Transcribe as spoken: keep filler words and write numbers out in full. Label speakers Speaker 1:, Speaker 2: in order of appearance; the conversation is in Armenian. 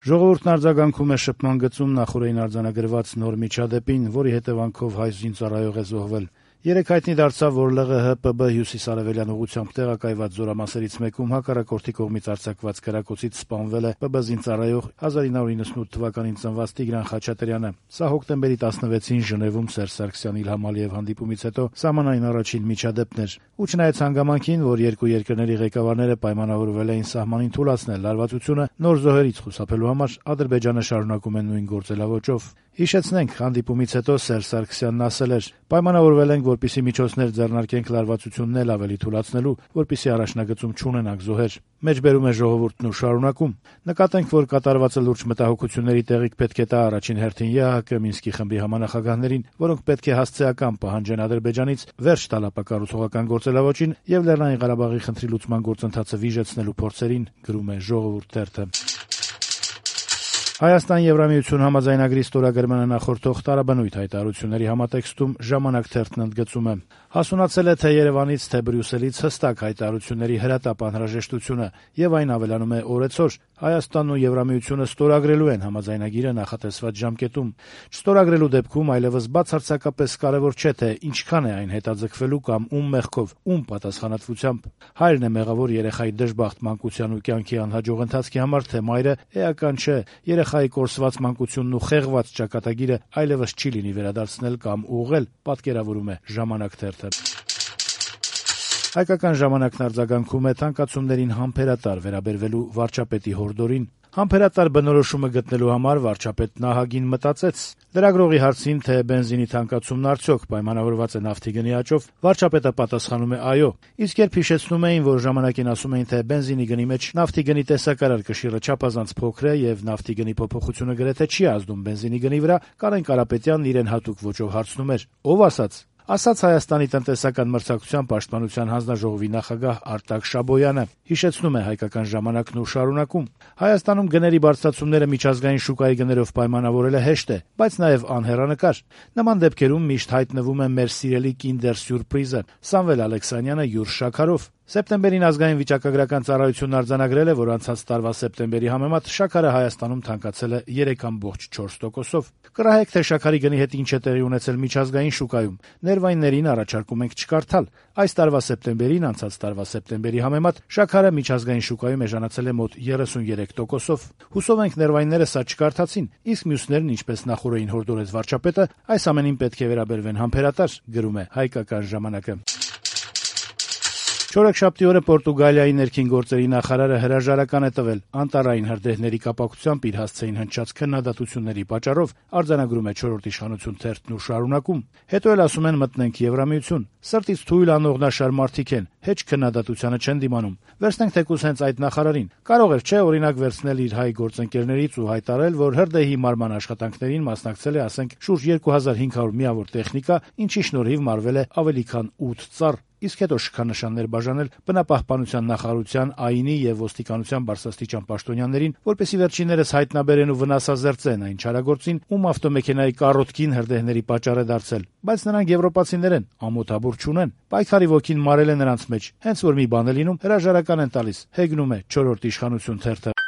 Speaker 1: Ժողովուրդն արձագանքում է շփման գծում նախօրեին արձանագրված նոր միջադեպին, որի հետևանքով հայ զինծառայող է զոհվել։ Երեկ հայտնի դարձավ, որ ԼՂՀ-ՊԲ հյուսիսարևելյան ուղղությամբ տեղակայված զորամասերից մեկում հակառակորդի կողմից արձակված կրակոցից սպանվել է ՊԲ զինծառայող հազար ինը հարյուր իննսունութ թվականին ծնված Տիգրան Խաչատրյանը։ Սա հոկտեմբերի տասնվեցին Ժնևում Սերժ Սարգսյանի Իլհամ Ալիև հանդիպումից հետո սահմանային առաջին միջադեպն էր։ Ու չնայած հանգամանքին, որ երկու երկրների ղեկավարները պայմանավորվել էին սահմանին թուլացնել լարվածությունը, նոր զոհերից խուսափելու համար Ադրբեջանը շարունակում է նույն գործելավոճով։ Հիշեցնենք, հանդիպումից հետո Սերժ Սարգսյանն ասել էր. «Պայմանավորվել ենք, որպեսզի միջոցներ ձեռնարկենք լարվածությունն էլ ավելի թուլացնելու, որպեսզի առաջնագծում չունենանք զոհեր»։ Մեջբերում է ժողովուրդն ու շարունակում. «Նկատենք, որ կատարվածը լուրջ մտահոգությունների տեղիք պետք է տա առաջին հերթին ԵԱՀԿ Մինսկի խմբի համանախագահներին, որոնք պետք է հասցեական պահանջեն Ադրբեջանից վերջ տալ ապակառուցողական գործելավոճին եւ Լեռնային Ղարաբաղի խնդրի լուծման գործընթացը վիժեցնելու փորձերին», գրում է «Ժողովուրդ» թերթը։ Հայաստան-Եվրամիություն համաձայնագրի ստորագրմանը նախորդող տարաբնույթ հայտարարությունների համատեքստում «Ժամանակ» թերթն ընդգծում է. «Հասունացել է թե Երևանից, թե Բրյուսելից հստակ հայտարարությունների հրատապ անհրաժեշտությունը, եւ այն ավելանում է օրեցօր. Հայաստանն ու Եվրամիությունը ստորագրելու են համաձայնագիրը նախատեսված ժամկետում։ Չստորագրելու դեպքում այլեւս բացարձակապես կարեւոր չէ, թե ինչքան է այն հետաձգվելու կամ ում մեղքով, ում պատասխանատվությամբ։ Հայրն է մեղավոր երեխայի դժբախտ մանկության ու կյանքի անհաջող ընթացքի համար, թե մայրը, էական չէ։ Երեխայի կորսված մանկությունն ու խեղված ճակատագիրը այլեւս չի լինի վերադարձնել կամ ուղղել», պատկերավորում է «Ժամանակ» թերթը։ Հայկական ժամանակն արձագանքում է թանկացումներին համբերատար վերաբերվելու վարչապետի հորդորին։ Համբերատար բնորոշումը գտնելու համար վարչապետն ահագին մտածեց։ Լրագրողի հարցին, թե բենզինի թանկացումն արդյոք պայմանավորված է նավթի գնի աճով, վարչապետը պատասխանում է այո։ Իսկ երբ հիշեցնում էին, որ ժամանակին ասում էին, թե բենզինի գնի մեջ նավթի գնի տեսակարար կշիռը չափազանց փոքր է եւ նավթի գնի փոփոխությունը գրեթե չի ազդում բենզինի գնի վրա, Կարեն Կարապետյանն իրեն հատուկ ոճով հարցնում էր. «Ով ասաց»։ Ասաց Հայաստանի տնտեսական մրցակցության պաշտպանության հանձնաժողովի նախագահ Արտակ Շաբոյանը։ Հիշեցնում է «Հայկական ժամանակն» ու շարունակում. «Հայաստանում գների բարձրացումները միջազգային շուկայի գներով պայմանավորելը հեշտ է, բայց նաեւ անհեռանկար։ Նման դեպքերում միշտ հայտնվում է մեր սիրելի Kinder սյուրպրիզը՝ Սամվել Ալեքսանյանը յուր շաքարով։ Սեպտեմբերին ազգային վիճակագրական ծառայությունն արձանագրել է, որ անցած տարվա սեպտեմբերի համեմատ շաքարը Հայաստանում թանկացել է երեք կόμma չորս տոկոսով։ Կռահեք, թե շաքարի գնի հետ ինչ է տեղի ունեցել միջազգային շուկայում։ Ներվայններին առաջարկում ենք չկարդալ։ Այս տարվա սեպտեմբերին անցած տարվա սեպտեմբերի համեմատ շաքարը միջազգային շուկայում էժանացել է մոտ երեսունյերեք տոկոսով։ Հուսով ենք ներվայնները սա չկարդացին, իսկ մյուսներն, ինչպես նախորդին հորդորեց վարչապետը, այս ամենին պետք է վերաբերվեն համբերատար», գրում է «Հայկական ժամանակը»։ Չորեքշաբթի օրը Պորտուգալիայի ներքին գործերի նախարարը հրաժարական է տվել անտառային հրդեհների կապակցությամբ իր հասցեին հնչած քննադատությունների պատճառով, արձանագրում է «Չորրորդ իշխանություն» թերթն ու շարունակում. «Հետո էլ ասում են մտնենք Եվրամիություն։ Սրտից թույլ անողնաշար մարդիկ են, հեչ քննադատությանը չեն դիմանում։ Վերցնենք թեկուզ հենց այդ նախարարին։ Կարող էր, չէ, օրինակ վերցնել իր հայ գործընկերներից ու հայտարարել, որ հրդեհի մարման աշխատանքներին մասնակցել է, ասենք, շուրջ երկու հազար հինգ հարյուր միավոր տեխնիկա, ինչի շնորհիվ մարվել է ավելի քան ութ ծառ, իսկ հետո շքանշաններ բաժանել բնապահպանության նախարարության, ԱԻՆ-ի եւ ոստիկանության բարձրաստիճան պաշտոնյաներին, որպեսզի վերջիններս հայտնաբերեն ու վնասազերծեն այն չարագործին, ում ավտոմեքենայի կառոթքին հրդեհների պատճառ է դարձել։ Բայց նրանք եվրոպացիներ են, ամոթաբուր չունեն։ Պայքարի ոգին մարել է նրանց մեջ։ Հենց որ մի բան է լինում, հրաժարական են տալիս», հեգնում է «Չորրորդ իշխանություն» թերթը։